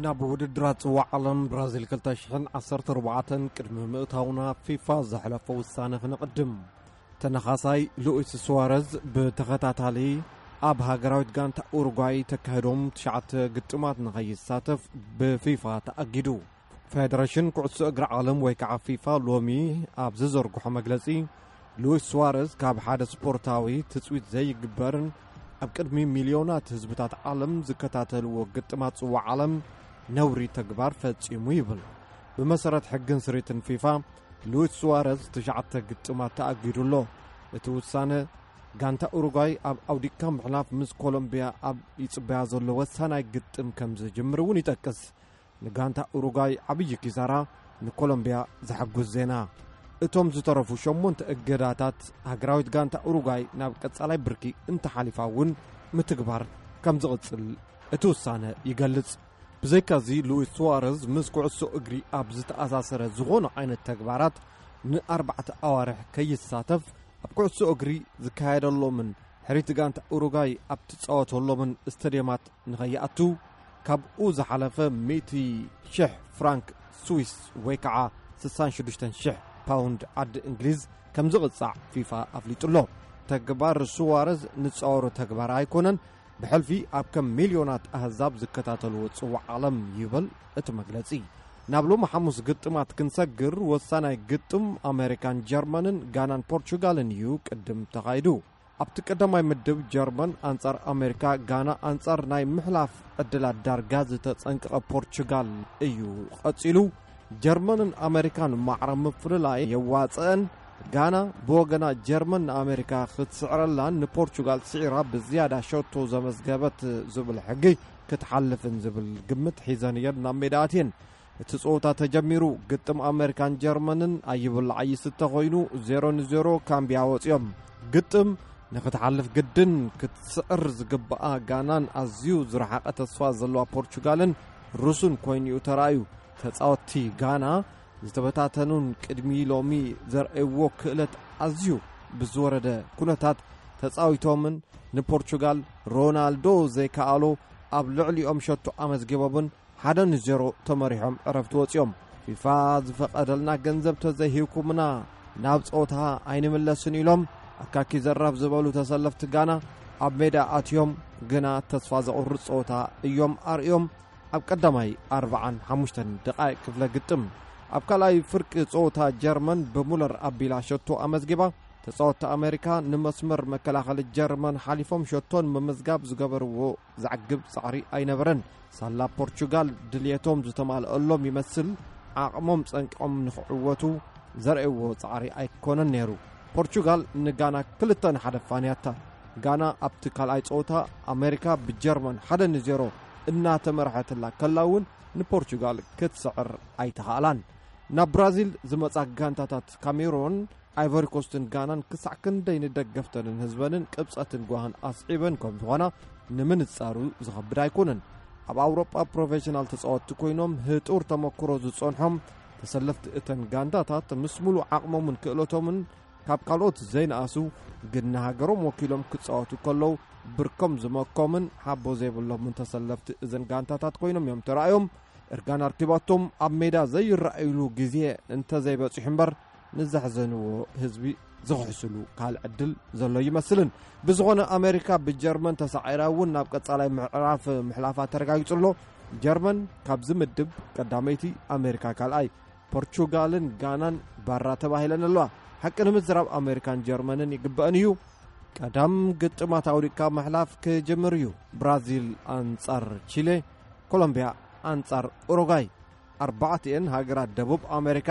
ናብ ውድድራት ጽዋዕ ዓለም ብራዚል ክልተ ሽሕን ዓሰርተ ኣርባዕተን ቅድሚ ምእታውና፣ ፊፋ ዘሕለፎ ውሳነ ክንቕድም። ተነኻሳይ ሉዊስ ሱዋረዝ ብተኸታታሊ ኣብ ሃገራዊት ጋንታ ኡሩጓይ ተካሂዶም ትሽዓተ ግጥማት ንኸይሳተፍ ብፊፋ ተኣጊዱ። ፌደሬሽን ኩዕሶ እግሪ ዓለም ወይ ከዓ ፊፋ ሎሚ ኣብ ዝዘርግሖ መግለጺ፣ ሉዊስ ሱዋረዝ ካብ ሓደ ስፖርታዊ ትጽዊት ዘይግበርን ኣብ ቅድሚ ሚልዮናት ህዝብታት ዓለም ዝከታተልዎ ግጥማት ጽዋዕ ዓለም ነውሪ ተግባር ፈጺሙ ይብል። ብመሰረት ሕግን ስሪትን ፊፋ፣ ሉዊስ ሱዋረዝ ትሽዓተ ግጥማት ተኣጊዱ ኣሎ። እቲ ውሳነ፣ ጋንታ ኡሩጓይ ኣብ ኣውዲካ ምሕላፍ ምስ ኮሎምቢያ ኣብ ይጽበያ ዘሎ ወሳናይ ግጥም ከም ዝጅምር እውን ይጠቅስ። ንጋንታ ኡሩጓይ ዓብዪ ኪሳራ፣ ንኮሎምቢያ ዘሐጉስ ዜና። እቶም ዝተረፉ ሸሞንተ እገዳታት፣ ሃገራዊት ጋንታ ኡሩጓይ ናብ ቀጻላይ ብርኪ እንተሓሊፋ እውን ምትግባር ከም ዝቕጽል እቲ ውሳነ ይገልጽ። ብዘይካዚ፣ ሉዊስ ሱዋረዝ ምስ ኩዕሶ እግሪ ኣብ ዝተኣሳሰረ ዝኾነ ዓይነት ተግባራት ንኣርባዕተ ኣዋርሕ ከይሳተፍ፣ ኣብ ኩዕሶ እግሪ ዝካየደሎምን ሕሪት ጋንታ ኡሩጓይ ኣብ ትጻወተሎምን ስቴድየማት ንኸይኣቱ፣ ካብኡ ዝሓለፈ ሚእቲ ሽሕ ፍራንክ ስዊስ ወይ ከዓ ስሳን ሽዱሽተን ሽሕ ፓውንድ ዓዲ እንግሊዝ ከም ዝቕጻዕ ፊፋ ኣፍሊጡ ኣሎ። ተግባር ሱዋረዝ ንጻወሮ ተግባር ኣይኮነን። ብሕልፊ ኣብ ከም ሚልዮናት ኣህዛብ ዝከታተልዎ ጽዋዕ ዓለም ይብል እቲ መግለጺ። ናብ ሎሚ ሓሙስ ግጥማት ክንሰግር፣ ወሳናይ ግጥም ኣሜሪካን ጀርመንን ጋናን ፖርቹጋልን እዩ ቅድም ተኻይዱ። ኣብቲ ቀዳማይ ምድብ ጀርመን ኣንጻር ኣሜሪካ፣ ጋና ኣንጻር ናይ ምሕላፍ ዕድላት ዳርጋ ዝተጸንቀቐ ፖርቹጋል እዩ ቀጺሉ። ጀርመንን ኣሜሪካን ማዕረ ምፍልላይ የዋጽአን። ጋና ብወገና፣ ጀርመን ንኣሜሪካ ክትስዕረላን ንፖርቹጋል ስዒራ ብዝያዳ ሸቶ ዘመዝገበት ዝብል ሕጊ ክትሓልፍን ዝብል ግምት ሒዘን እየን ናብ ሜዳ ኣትየን። እቲ ጸወታ ተጀሚሩ። ግጥም ኣሜሪካን ጀርመንን ኣይብላዕ ኣይስተ ኮይኑ፣ ዜሮ ንዜሮ ካምቢያ ወጺኦም። ግጥም ንኽትሓልፍ ግድን ክትስዕር ዝግብኣ ጋናን ኣዝዩ ዝረሓቐ ተስፋ ዘለዋ ፖርቹጋልን ርሱን ኮይኑ እዩ ተራእዩ። ተጻወትቲ ጋና ዝተበታተኑን ቅድሚ ሎሚ ዘርእይዎ ክእለት ኣዝዩ ብዝወረደ ኩነታት ተጻዊቶምን ንፖርቹጋል ሮናልዶ ዘይከኣሎ ኣብ ልዕሊኦም ሸቶ ኣመዝጊቦምን ሓደ ንዜሮ ተመሪሖም ዕረፍቲ ወጺኦም። ፊፋ ዝፈቐደልና ገንዘብ ተዘይሂብኩምና ናብ ጸወታ ኣይንምለስን ኢሎም ኣካኪ ዘራፍ ዝበሉ ተሰለፍቲ ጋና ኣብ ሜዳ ኣትዮም፣ ግና ተስፋ ዘቑርጽ ጸወታ እዮም ኣርእዮም። ኣብ ቀዳማይ ኣርባዓን ሓሙሽተን ደቓይቕ ክፍለ ግጥም፣ ኣብ ካልኣይ ፍርቂ ጸወታ ጀርመን ብሙለር ኣቢላ ሸቶ ኣመዝጊባ። ተጻወትቲ ኣሜሪካ ንመስመር መከላኸሊ ጀርመን ሓሊፎም ሸቶን ምምዝጋብ ዝገበርዎ ዘዕግብ ጻዕሪ ኣይነበረን። ሳላ ፖርቹጋል ድልየቶም ዝተማልአሎም ይመስል፣ ዓቕሞም ጸንቂቖም ንኽዕወቱ ዘርእይዎ ጻዕሪ ኣይኮነን ነይሩ። ፖርቹጋል ንጋና ክልተ ንሓደ ፋንያታ። ጋና ኣብቲ ካልኣይ ጸወታ ኣሜሪካ ብጀርመን ሓደ ንዜሮ እናተመርሐትላ ከላ እውን ንፖርቹጋል ክትስዕር ኣይተኻእላን። ናብ ብራዚል ዝመጻ ጋንታታት ካሜሮን፣ ኣይቨሪኮስትን ጋናን ክሳዕ ክንደይ ንደገፍተንን ህዝበንን ቅብጸትን ጓህን ኣስዒበን ከም ዝኾና ንምንጻሩ ዝኸብድ ኣይኮነን። ኣብ ኣውሮጳ ፕሮፌሽናል ተጻወትቲ ኮይኖም ህጡር ተመክሮ ዝጸንሖም ተሰለፍቲ እተን ጋንታታት ምስ ሙሉእ ዓቕሞምን ክእለቶምን ካብ ካልኦት ዘይነኣሱ፣ ግን ንሃገሮም ወኪሎም ክጻወቱ ከለዉ ብርኮም ዝመኮምን ሓቦ ዘይብሎምን ተሰለፍቲ እዘን ጋንታታት ኮይኖም እዮም ተራእዮም። እርጋን ኣርኪባቶም ኣብ ሜዳ ዘይረኣዩሉ ግዜ እንተዘይበጺሑ እምበር፣ ንዘሕዘንዎ ህዝቢ ዝኽሕስሉ ካልእ ዕድል ዘሎ ይመስልን። ብዝኾነ፣ ኣሜሪካ ብጀርመን ተሳዒራ እውን ናብ ቀጻላይ ምዕራፍ ምሕላፋ ተረጋጊጹ ኣሎ። ጀርመን ካብዚ ምድብ ቀዳመይቲ፣ ኣሜሪካ ካልኣይ፣ ፖርቹጋልን ጋናን ባራ ተባሂለን ኣለዋ። ሓቂ ንምዝራብ፣ ኣሜሪካን ጀርመንን ይግበአን እዩ። ቀዳም ግጥማት ኣውዲቕካ ምሕላፍ ክጅምር እዩ። ብራዚል ኣንጻር ቺሌ፣ ኮሎምቢያ ኣንጻር ኡሩጓይ። ኣርባዕቲኤን ሃገራት ደቡብ ኣሜሪካ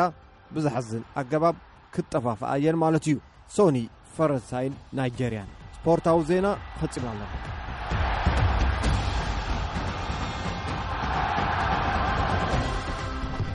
ብዘሕዝን ኣገባብ ክጠፋፍኣ እየን ማለት እዩ። ሶኒ፣ ፈረንሳይን ናይጀርያን። ስፖርታዊ ዜና ፈጺምና ኣለና።